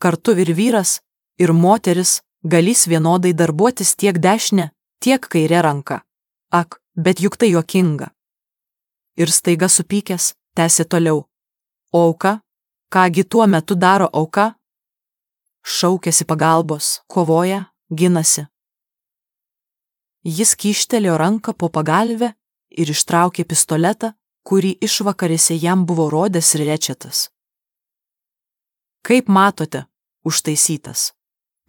kartu ir vyras, ir moteris galės vienodai darbuotis tiek dešinę, tiek kairę ranką. Ak, bet juk tai juokinga. Ir staiga supykęs, tęsė toliau. O auka? Kągi tuo metu daro auka? Šaukėsi pagalbos, kovoja, ginasi. Jis kyštelėjo ranką po pagalvę ir ištraukė pistoletą, kurį išvakarėse jam buvo rodęs Rečetas. Kaip matote, užtaisytas,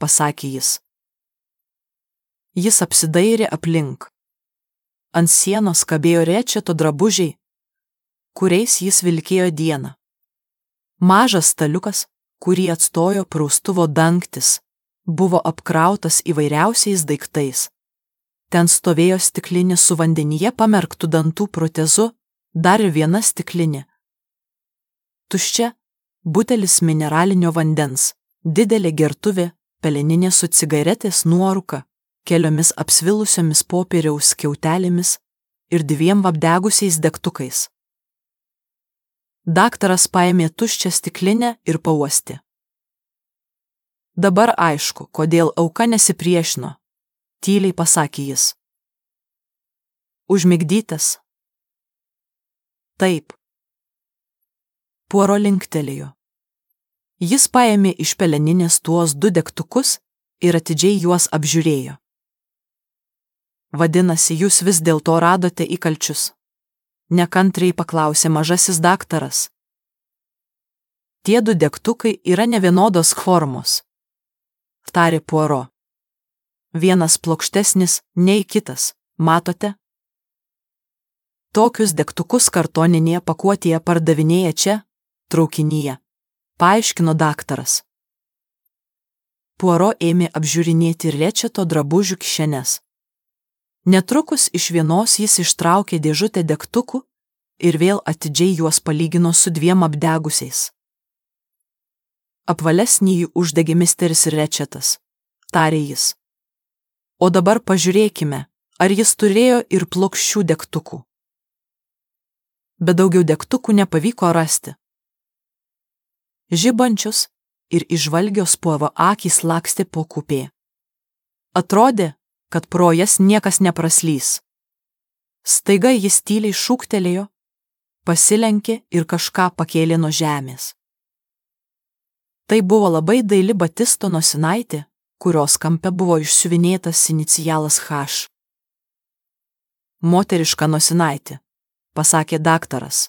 pasakė jis. Jis apsidairė aplink. Ant sienos kabėjo Rečeto drabužiai, kuriais jis vilkėjo dieną. Mažas staliukas, kurį atstojo praustuvo dangtis, buvo apkrautas įvairiausiais daiktais. Ten stovėjo stiklinė su vandenyje pamerktų dantų protezu, dar viena stiklinė. Tuščia butelis mineralinio vandens, didelė gertuvė, peleninė su cigaretės nuorūka, keliomis apsvilusiomis popieriaus skiautelėmis ir 2 apdegusiais degtukais. Daktaras paėmė tuščią stiklinę ir pauostė. Dabar aišku, kodėl auka nesipriešino, tyliai pasakė jis. Užmigdytas. Taip. Puaro linktelėjo. Jis paėmė iš peleninės tuos 2 degtukus ir atidžiai juos apžiūrėjo. Vadinasi, jūs vis dėlto radote įkalčius. Nekantriai paklausė mažasis daktaras. Tie 2 degtukai yra nevienodos formos, tarė Puaro. Vienas plokštesnis nei kitas, matote? Tokius degtukus kartoninėje pakuotėje pardavinėja čia, traukinyje, paaiškino daktaras. Puaro ėmė apžiūrinėti Rečeto drabužių kišenes. Netrukus iš vienos jis ištraukė dėžutę degtukų ir vėl atidžiai juos palygino su 2 apdegusiais. Apvalesnį jį uždegė misteris Rečetas, tarė jis. O dabar pažiūrėkime, ar jis turėjo ir plokščių degtukų. Bet daugiau degtukų nepavyko rasti. Žibančios ir įžvalgios Puaro akys lakstė po kupė. Atrodė, kad pro jas niekas nepraslys. Staiga jis tyliai šūktelėjo, pasilenkė ir kažką pakėlė nuo žemės. Tai buvo labai daili batisto nosinaitė, kurios kampe buvo išsiuvinėtas inicialas H. Moteriška nosinaitė, pasakė daktaras.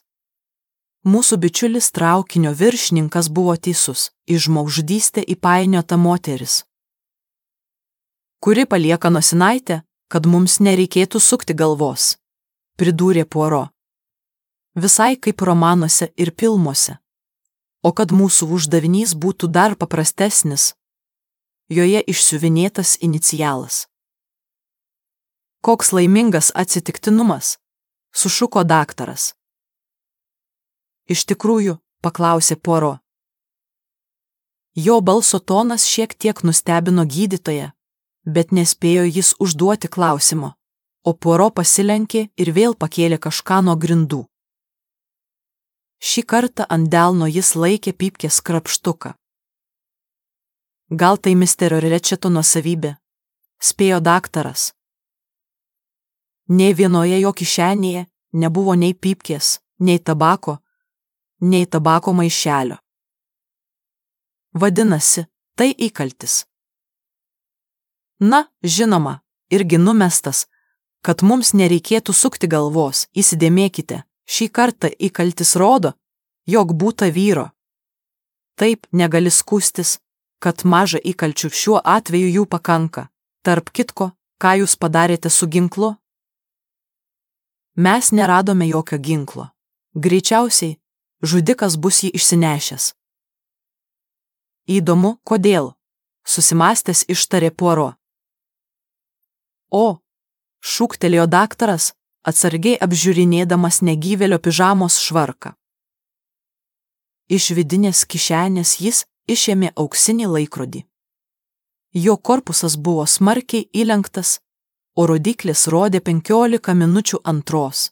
Mūsų bičiulis traukinio viršininkas buvo teisus, į žmogžudystę įpainiota moteris, kuri palieka nosinaitę, kad mums nereikėtų sukti galvos, pridūrė Puaro. Visai kaip romanuose ir filmuose. O kad mūsų uždavinys būtų dar paprastesnis, joje išsiuvinėtas inicialas. Koks laimingas atsitiktinumas, sušuko daktaras. Iš tikrųjų, paklausė Puaro. Jo balso tonas šiek tiek nustebino gydytoją, bet nespėjo jis užduoti klausimo, o Puaro pasilenkė ir vėl pakėlė kažką nuo grindų. Šį kartą ant delno jis laikė pypkės krapštuką. Gal tai misterio Rečeto nuosavybė, spėjo daktaras. Nei vienoje jo kišenėje nebuvo nei pypkės, nei tabako maišelio. Vadinasi, tai įkaltis. Na, žinoma, irgi numestas, kad mums nereikėtų sukti galvos, įsidėmėkite, šį kartą įkaltis rodo, jog būta vyro. Taip negali skųstis, kad maža įkalčių šiuo atveju jų pakanka. Tarp kitko, ką jūs padarėte su ginklu? Mes neradome jokio ginklo. Greičiausiai, žudikas bus jį išsinešęs. Įdomu, kodėl, susimąstęs ištarė Puaro. O, šūktelėjo daktaras, atsargiai apžiūrinėdamas negyvėlio pižamos švarką. Iš vidinės kišenės jis išėmė auksinį laikrodį. Jo korpusas buvo smarkiai įlenktas, o rodyklis rodė 15 minučių antros.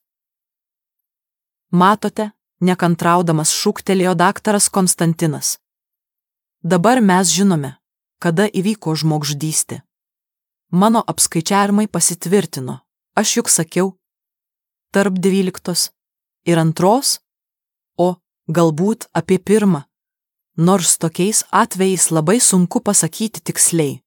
Matote, nekantraudamas šūktelėjo daktaras Konstantinas. Dabar mes žinome, kada įvyko žmogžudystė. Mano apskaičiavimai pasitvirtino, aš juk sakiau, tarp 12 ir 2, o galbūt apie 1, nors tokiais atvejais labai sunku pasakyti tiksliai.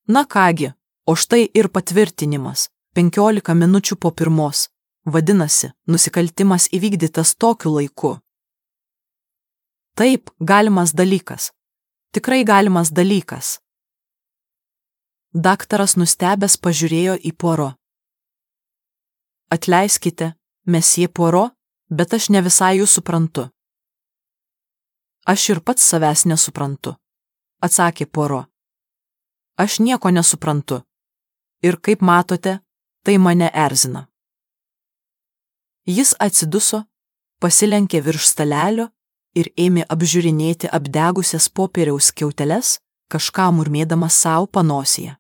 Na kągi, o štai ir patvirtinimas, 15 minučių po 1, vadinasi, nusikaltimas įvykdytas tokiu laiku. Taip, galimas dalykas. Tikrai galimas dalykas. Daktaras nustebęs pažiūrėjo į Puaro. Atleiskite, mesjė Puaro, bet aš ne visai jų suprantu. Aš ir pats savęs nesuprantu, atsakė Puaro. Aš nieko nesuprantu. Ir kaip matote, tai mane erzina. Jis atsiduso, pasilenkė virš stalelio ir ėmė apžiūrinėti apdegusias popieriaus skiauteles, kažką murmėdamas savo panosėje.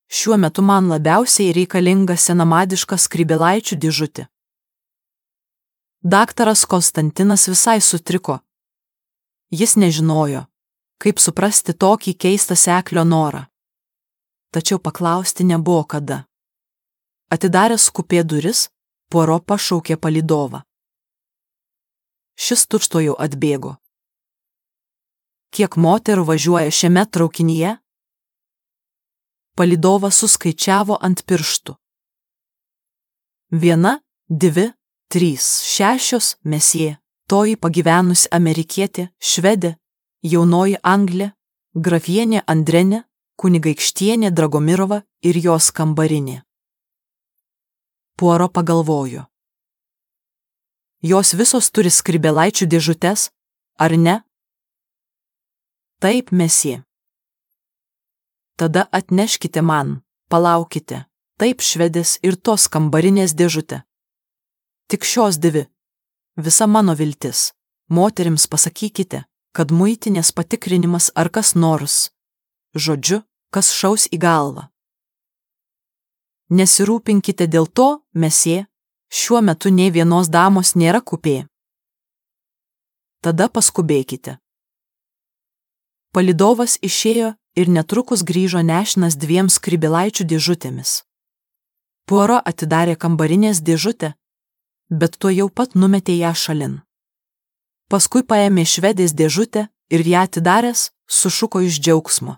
Šiuo metu man labiausiai reikalinga senamadiška skrybėlaičių dėžutė. Daktaras Konstantinas visai sutriko. Jis nežinojo, kaip suprasti tokį keistą seklio norą. Tačiau paklausti nebuvo kada. Atidaręs kupė duris, Puaro pašaukė palydovą. Šis tučtuojau atbėgo. Kiek moterų važiuoja šiame traukinyje? Palydovas suskaičiavo ant pirštų. 1, 2, 3, 6, mesjė, toji pagyvenusi amerikietė, švedė, jaunoji Anglė, grafienė Andrenė, kunigaikštienė Dragomirova ir jos kambarinė. Puaro pagalvojo. Jos visos turi skrybėlaičių dėžutes, ar ne? Taip, mesjė. Tada atneškite man, palaukite, taip švedės ir tos kambarinės dėžutė. Tik šios 2. Visa mano viltis. Moterims pasakykite, kad muitinės patikrinimas ar kas nors. Žodžiu, kas šaus į galvą. Nesirūpinkite dėl to, mesjė, šiuo metu nei vienos damos nėra kupė. Tada paskubėkite. Palydovas išėjo ir netrukus grįžo nešinas 2 skrybėlaičių dėžutėmis. Puaro atidarė kambarinės dėžutę, bet tuo jau pat numetė ją šalin. Paskui paėmė švedės dėžutę ir ją atidaręs, sušuko iš džiaugsmo.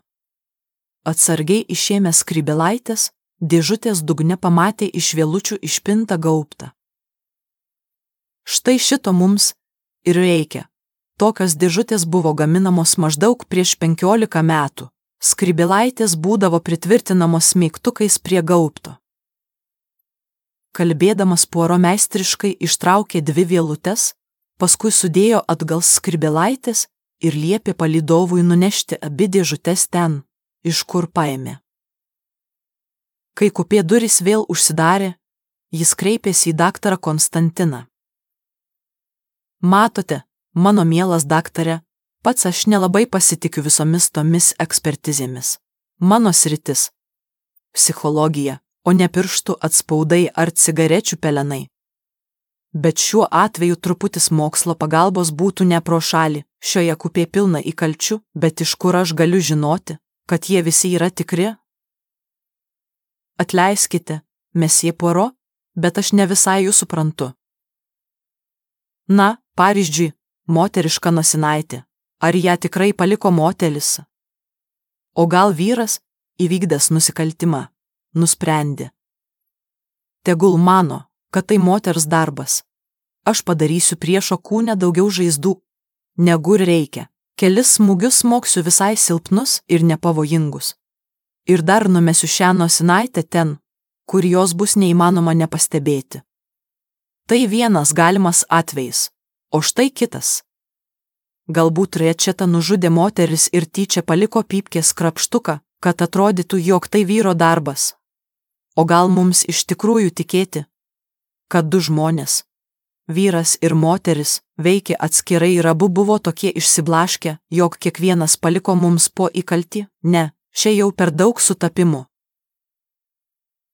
Atsargiai išėmė skrybėlaitės, dėžutės dugne pamatė iš vėlučių išpintą gaubtą. Štai šito mums ir reikia. Tokios dėžutės buvo gaminamos maždaug prieš 15 metų. Skrybėlaitės būdavo pritvirtinamos smeigtukais prie gaubto. Kalbėdamas Puaro meistriškai ištraukė 2 vėlutes, paskui sudėjo atgal skrybėlaitės ir liepė palydovui nunešti abi dėžutes ten, iš kur paėmė. Kai kupė durys vėl užsidarė, jis kreipėsi į daktarą Konstantiną. Matote, mano mielas daktare, pats aš nelabai pasitikiu visomis tomis ekspertizėmis. Mano sritis – psichologija, o ne pirštų atspaudai ar cigarečių pelenai. Bet šiuo atveju truputis mokslo pagalbos būtų ne pro šalį, šioje kupė pilna įkalčių, bet iš kur aš galiu žinoti, kad jie visi yra tikri? Atleiskite, mesjė Puaro, bet aš ne visai jų suprantu. Na, pavyzdžiui, moteriška nosinaitė. Ar ją tikrai paliko motelis? O gal vyras, įvykdęs nusikaltimą, nusprendė. Tegul mano, kad tai moters darbas. Aš padarysiu priešo kūne daugiau žaizdų, negu reikia. Kelis smūgius smoksiu visai silpnus ir nepavojingus. Ir dar numesiu šią nosinaitę ten, kur jos bus neįmanoma nepastebėti. Tai vienas galimas atvejis, o štai kitas. Galbūt Rečeta nužudė moteris ir tyčia paliko pypkės krapštuką, kad atrodytų, jog tai vyro darbas. O gal mums iš tikrųjų tikėti, kad 2 žmonės, vyras ir moteris, veikė atskirai ir abu buvo tokie išsiblaškę, jog kiekvienas paliko mums po įkaltį? Ne. Čia jau per daug sutapimų.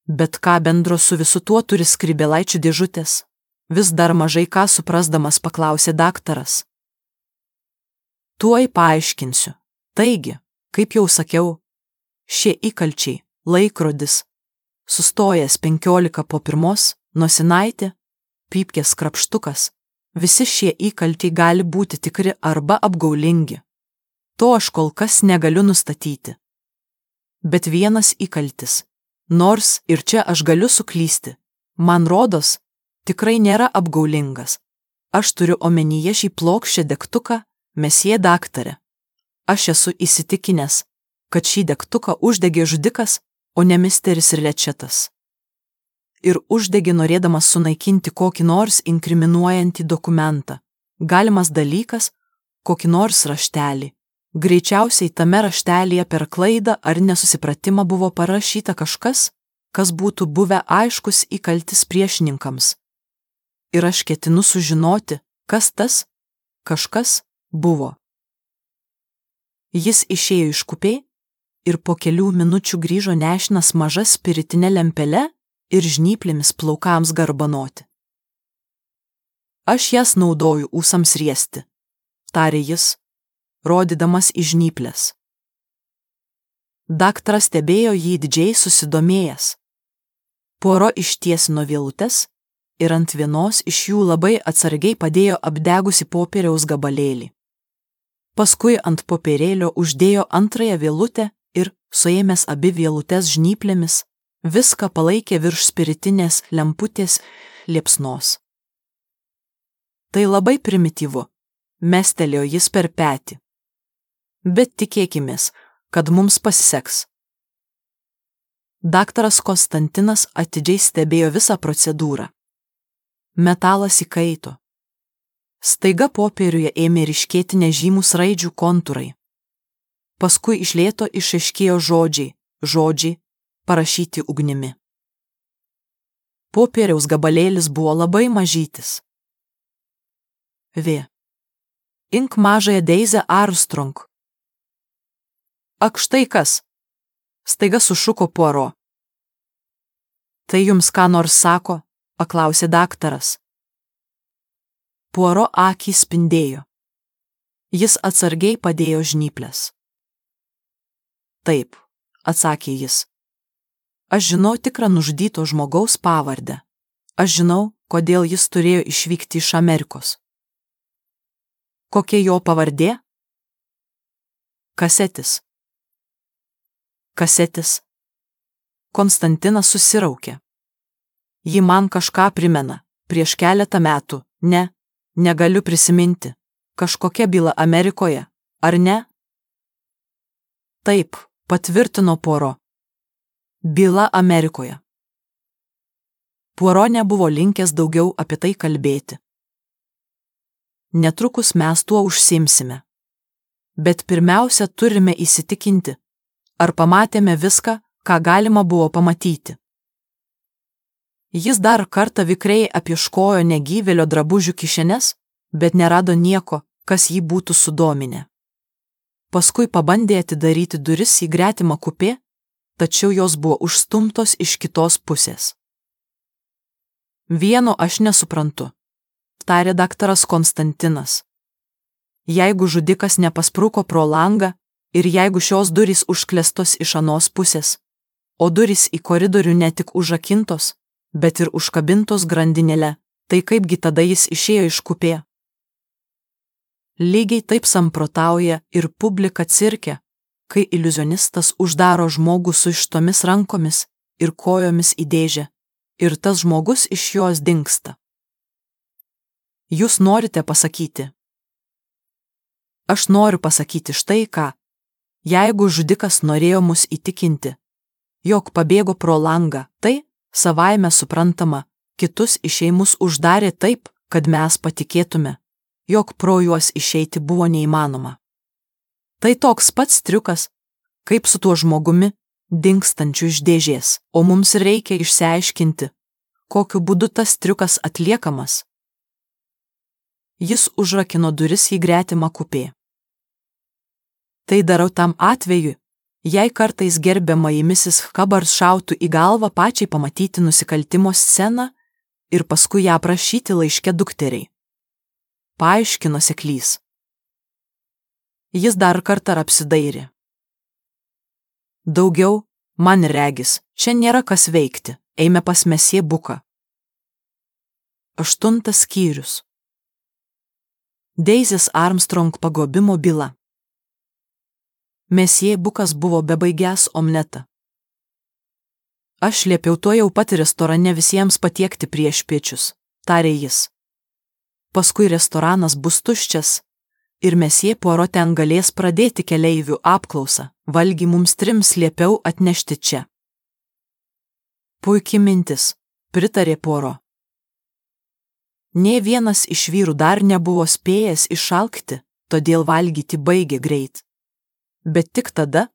Bet ką bendro su visu tuo turi skrybėlaičių dėžutės? Vis dar mažai ką suprasdamas paklausė daktaras. Tuoj paaiškinsiu. Taigi, kaip jau sakiau, šie įkalčiai, laikrodis, sustojęs 15:15, nosinaitė, pypkės krapštukas, visi šie įkalčiai gali būti tikri arba apgaulingi. To aš kol kas negaliu nustatyti. Bet vienas įkaltis, nors ir čia aš galiu suklysti, man rodos, tikrai nėra apgaulingas. Aš turiu omenyje šį plokščią degtuką, mesjė daktare. Aš esu įsitikinęs, kad šį degtuką uždegė žudikas, o ne misteris Rečetas. Ir uždegė norėdamas sunaikinti kokį nors inkriminuojantį dokumentą, galimas dalykas, kokį nors raštelį. Greičiausiai tame raštelyje per klaidą ar nesusipratimą buvo parašyta kažkas, kas būtų buvę aiškus įkaltis priešininkams. Ir aš ketinu sužinoti, kas tas kažkas buvo. Jis išėjo iš kupė ir po kelių minučių grįžo nešinas maža spiritinė lempele ir žnyplėmis plaukams garbanoti. Aš jas naudoju ūsams riesti, tarė jis, rodydamas į žnyplės. Daktaras stebėjo jį didžiai susidomėjęs. Poro ištiesino vielutes ir ant vienos iš jų labai atsargiai padėjo apdegusi popieriaus gabalėlį. Paskui ant popierėlio uždėjo antrąją vielutę ir, suėmęs abi vielutes žnyplėmis, viską palaikė virš spiritinės lemputės liepsnos. Tai labai primityvu, mestelėjo jis per petį. Bet tikėkimės, kad mums pasiseks. Daktaras Konstantinas atidžiai stebėjo visą procedūrą. Metalas įkaito. Staiga popieriuje ėmė ryškėti nežymūs raidžių kontūrai. Paskui iš lėto išaiškėjo žodžiai, parašyti ugnimi. Popieriaus gabalėlis buvo labai mažytis. V. Ink mažąją Deizę Armstrong. Ak, štai kas? Staiga sušuko Puaro. Tai jums ką nors sako? Paklausė daktaras. Puaro akys spindėjo. Jis atsargiai padėjo žnyplės. Taip, atsakė jis. Aš žinau tikrą nužudyto žmogaus pavardę. Aš žinau, kodėl jis turėjo išvykti iš Amerikos. Kokia jo pavardė? Kasetis. Kasetis. Konstantinas susiraukė. Ji man kažką primena. Prieš keletą metų. Negaliu prisiminti. Kažkokia byla Amerikoje, ar ne? Taip, patvirtino Puaro. Byla Amerikoje. Puaro nebuvo linkęs daugiau apie tai kalbėti. Netrukus mes tuo užsiimsime. Bet pirmiausia turime įsitikinti, ar pamatėme viską, ką galima buvo pamatyti. Jis dar kartą vikriai apieškojo negyvėlio drabužių kišenes, bet nerado nieko, kas jį būtų sudominę. Paskui pabandė atidaryti duris į gretimą kupė, tačiau jos buvo užstumtos iš kitos pusės. Vieno aš nesuprantu, tarė daktaras Konstantinas. Jeigu žudikas nepaspruko pro langą ir jeigu šios durys užklestos iš anos pusės, o durys į koridorių ne tik užrakintos, bet ir užkabintos grandinėle, tai kaipgi tada jis išėjo iš kupė? Lygiai taip samprotauja ir publika cirke, kai iliuzionistas uždaro žmogų su ištomis rankomis ir kojomis į dėžę, ir tas žmogus iš jos dingsta. Jūs norite pasakyti? Aš noriu pasakyti štai ką. Jeigu žudikas norėjo mus įtikinti, jog pabėgo pro langą, tai, savaime suprantama, kitus išėjimus uždarė taip, kad mes patikėtume, jog pro juos išeiti buvo neįmanoma. Tai toks pats triukas, kaip su tuo žmogumi, dingstančiu iš dėžės, o mums reikia išsiaiškinti, kokiu būdu tas triukas atliekamas. Jis užrakino duris į gretimą kupė. Tai darau tam atveju, jei kartais gerbiamoji Mrs. Hubbard šautų į galvą pačiai pamatyti nusikaltimo sceną ir paskui ją prašyti laiške dukteriai. Paaiškino seklys. Jis dar kartą apsidairė. Daugiau, man regis, čia nėra kas veikti, eime pas mesjė Buką. 8 skyrius. Deizės Armstrong pagrobimo byla. Mesjė Bukas buvo bebaigęs omletą. Aš liepiau tuojau pat restorane visiems patiekti priešpiečius, tarė jis. Paskui restoranas bus tuščias ir mesjė Poirot ten galės pradėti keleivių apklausą, valgį mums 3 liepiau atnešti čia. Puikiai mintis, pritarė Poirot. Nė vienas iš vyrų dar nebuvo spėjęs išalkti, todėl valgyti baigė greit. Bet tik tada,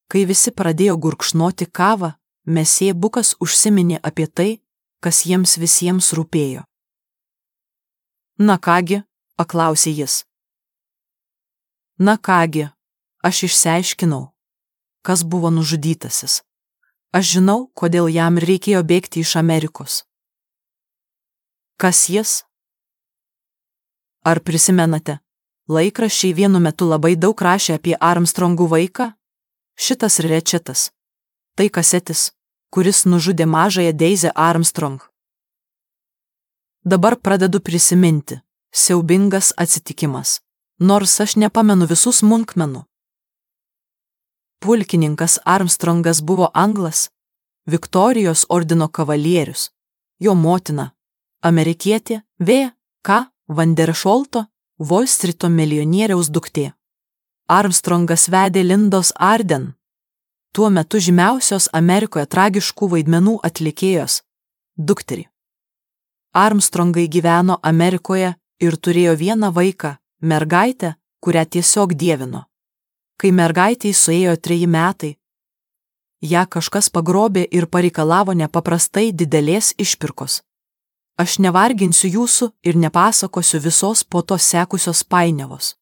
kai visi pradėjo gurkšnoti kavą, mesjė Bukas užsiminė apie tai, kas jiems visiems rūpėjo. Na kągi, paklausė jis. Na kągi, aš išsiaiškinau, kas buvo nužudytasis. Aš žinau, kodėl jam reikėjo bėgti iš Amerikos. Kas jis? Ar prisimenate, laikraščiai vienu metu labai daug rašė apie Armstrongų vaiką? Šitas Rečetas. Tai Kasetis, kuris nužudė mažąją Deizę Armstrong. Dabar pradedu prisiminti. Siaubingas atsitikimas. Nors aš nepamenu visų smulkmenų. Pulkininkas Armstrongas buvo anglas, Viktorijos ordino kavalierius, jo motina, amerikietė V.K. Vanderšolto, Volstrito milijonieriaus duktė. Armstrongas vedė Lindos Arden, tuo metu žymiausios Amerikoje tragiškų vaidmenų atlikėjos, dukterį. Armstrongai gyveno Amerikoje ir turėjo vieną vaiką, mergaitę, kurią tiesiog dievino. Kai mergaitei suėjo 3 metai, ją kažkas pagrobė ir pareikalavo nepaprastai didelės išpirkos. Aš nevarginsiu jūsų ir nepasakosiu visos po to sekusios painiavos.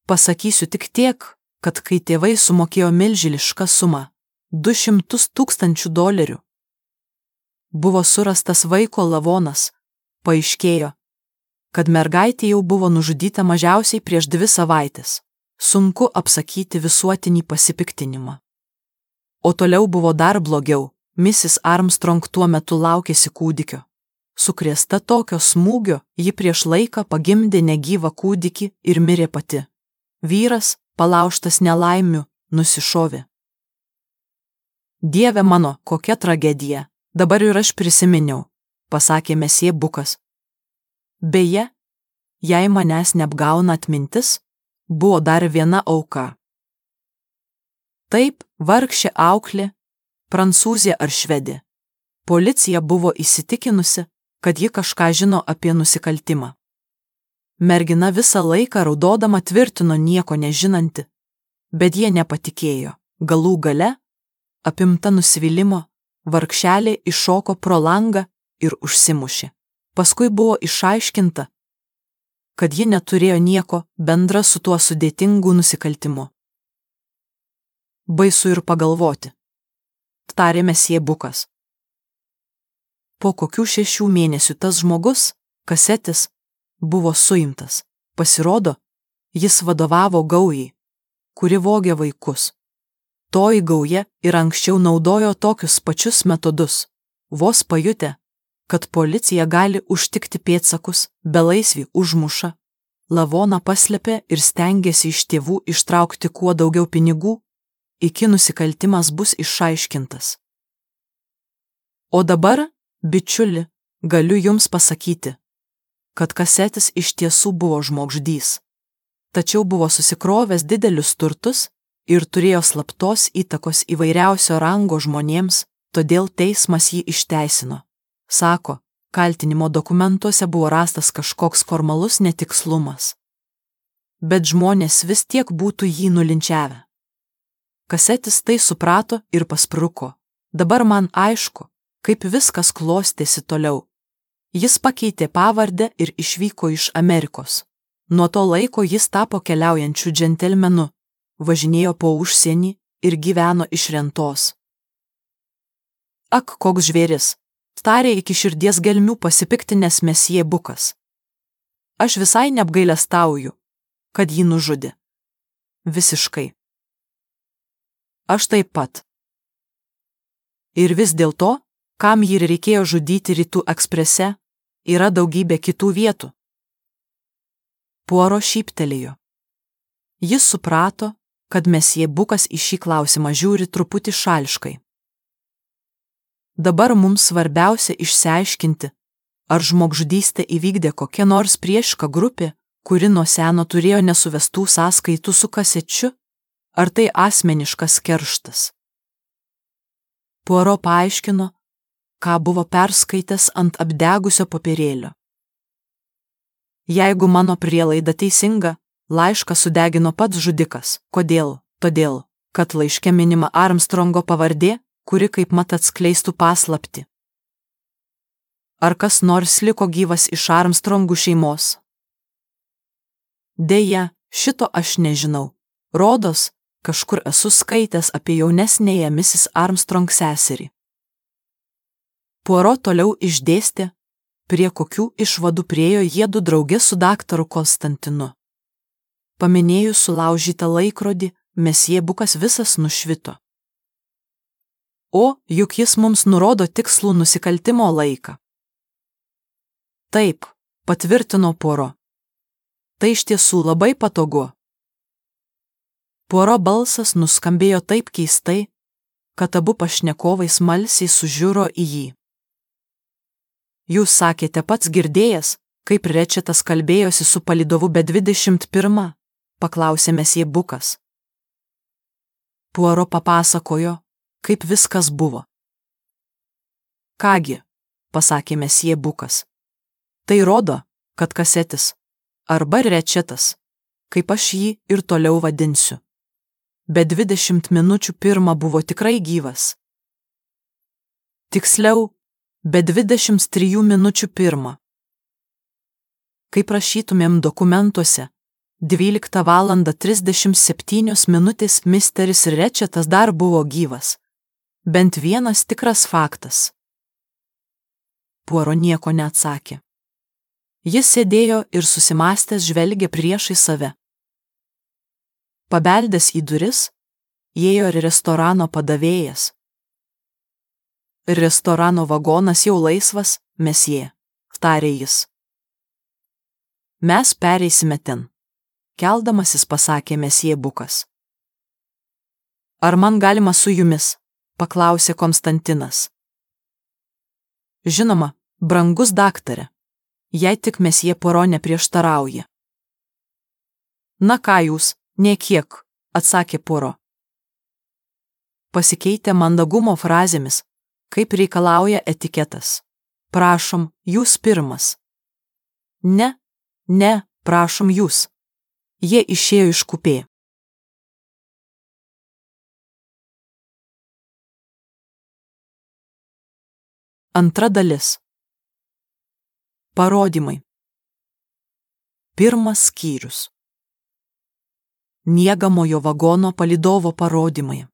Pasakysiu tik tiek, kad kai tėvai sumokėjo milžinišką sumą – $200,000, buvo surastas vaiko lavonas, paaiškėjo, kad mergaitė jau buvo nužudyta mažiausiai prieš 2 savaites. Sunku apsakyti visuotinį pasipiktinimą. O toliau buvo dar blogiau, Mrs. Armstrong tuo metu laukėsi kūdikio. Sukrėsta tokio smūgio, ji prieš laiką pagimdė negyvą kūdikį ir mirė pati. Vyras, palaužtas nelaimių, nusišovė. Dieve mano, kokia tragedija, dabar ir aš prisiminiau, pasakė mesjė Bukas. Beje, jei manęs neapgauna atmintis, buvo dar viena auka. Taip, vargšė auklė, prancūzė ar švedė. Policija buvo įsitikinusi, kad ji kažką žino apie nusikaltimą. Mergina visą laiką raudodama tvirtino nieko nežinanti, bet jie nepatikėjo. Galų gale, apimta nusivylimo, vargšelė iššoko pro langą ir užsimušė. Paskui buvo išaiškinta, kad ji neturėjo nieko bendra su tuo sudėtingu nusikaltimu. Baisu ir pagalvoti, tarė mesjė Bukas. Po kokių 6 mėnesių tas žmogus, Kasetis, buvo suimtas. Pasirodo, jis vadovavo gaujai, kuri vogė vaikus. Toji gauja ir anksčiau naudojo tokius pačius metodus, vos pajutę, kad policija gali užtikti pėdsakus, belaisvį užmuša, lavoną paslėpė ir stengėsi iš tėvų ištraukti kuo daugiau pinigų, iki nusikaltimas bus išaiškintas. O dabar, bičiuli, galiu jums pasakyti, kad Kasetis iš tiesų buvo žmogžudys, tačiau buvo susikrovęs didelius turtus ir turėjo slaptos įtakos įvairiausio rango žmonėms, todėl teismas jį išteisino. Sako, kaltinimo dokumentuose buvo rastas kažkoks formalus netikslumas. Bet žmonės vis tiek būtų jį nulinčiavę. Kasetis tai suprato ir paspruko. Dabar man aišku, kaip viskas klostėsi toliau. Jis pakeitė pavardę ir išvyko iš Amerikos. Nuo to laiko jis tapo keliaujančiu džentelmenu, važinėjo po užsienį ir gyveno iš rentos. Ak, koks žvėris, tarė iki širdies gelmių pasipiktinęs mesjė Bukas. Aš visai neapgailestauju, kad jį nužudė. Visiškai. Aš taip pat. Ir vis dėlto, kam jį reikėjo žudyti Rytų eksprese, yra daugybė kitų vietų. Puaro šyptelėjo. Jis suprato, kad mesjė Bukas į šį klausimą žiūri truputį šališkai. Dabar mums svarbiausia išsiaiškinti, ar žmogžudystę įvykdė kokia nors priešiška grupė, kuri nuo seno turėjo nesuvestų sąskaitų su kasečiu, ar tai asmeniškas kerštas. Puaro paaiškino, ką buvo perskaitęs ant apdegusio popierėlio. Jeigu mano prielaida teisinga, laišką sudegino pats žudikas. Kodėl? Todėl, kad laiške minima Armstrongo pavardė, kuri kaip mat atskleistų paslaptį. Ar kas nors liko gyvas iš Armstrongų šeimos? Deja, šito aš nežinau. Rodos, kažkur esu skaitęs apie jaunesnėje Mrs. Armstrong seserį. Puaro toliau išdėstė, prie kokių išvadų priėjo jiedu drauge su daktaru Konstantinu. Paminėjus sulaužytą laikrodį, mesjė Bukas visas nušvito. O, juk jis mums nurodo tikslų nusikaltimo laiką. Taip, patvirtino Puaro. Tai iš tiesų labai patogu. Puaro balsas nuskambėjo taip keistai, kad abu pašnekovai smalsiai sužiuro į jį. Jūs sakėte pats girdėjęs, kaip Rečetas kalbėjosi su palydovu B21, paklausė mesjė Bukas. Puaro papasakojo, kaip viskas buvo. Kągi, pasakė mesjė Bukas. Tai rodo, kad kasetis, arba Rečetas, kaip aš jį ir toliau vadinsiu. B21 buvo tikrai gyvas. Tiksliau, B23:1. Kaip rašytumėm dokumentuose, 12:37 misteris Rečetas dar buvo gyvas. Bent vienas tikras faktas. Puaro nieko neatsakė. Jis sėdėjo ir susimąstęs žvelgė priešai save. Pabeldęs į duris, įėjo ir restorano padavėjas. Restorano vagonas jau laisvas, mesjė, tarė jis. Mes pereisime ten, keldamasis pasakė mesjė Bukas. Ar man galima su jumis, paklausė Konstantinas. Žinoma, brangus daktare, jei tik mesjė Puaro neprieštarauja. Na ką jūs, nė kiek, atsakė Puaro. Pasikeitė mandagumo frazėmis, kaip reikalauja etiketas. Prašom, jūs pirmas. Ne, prašom jūs. Jie išėjo iš kupė. Antra dalis. Parodymai. Pirmas skyrius. Miegamojo vagono palydovo parodymai.